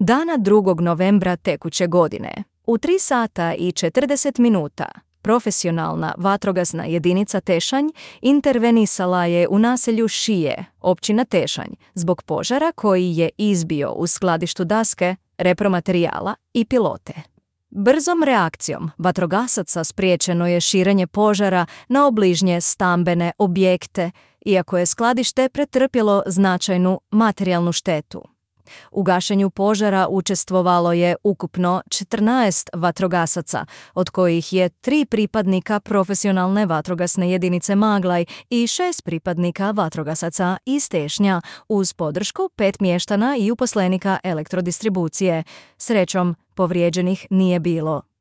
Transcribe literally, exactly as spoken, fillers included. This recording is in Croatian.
Dana drugog novembra tekuće godine, u tri sata i četrdeset minuta, profesionalna vatrogasna jedinica Tešanj intervenisala je u naselju Šije, općina Tešanj, zbog požara koji je izbio u skladištu daske, repromaterijala i pilote. Brzom reakcijom vatrogasaca spriječeno je širenje požara na obližnje stambene objekte, iako je skladište pretrpjelo značajnu materijalnu štetu. U gašenju požara učestvovalo je ukupno četrnaest vatrogasaca, od kojih je tri pripadnika profesionalne vatrogasne jedinice Maglaj i šest pripadnika vatrogasaca iz Tešnja, uz podršku pet mještana i uposlenika elektrodistribucije. Srećom, povrijeđenih nije bilo.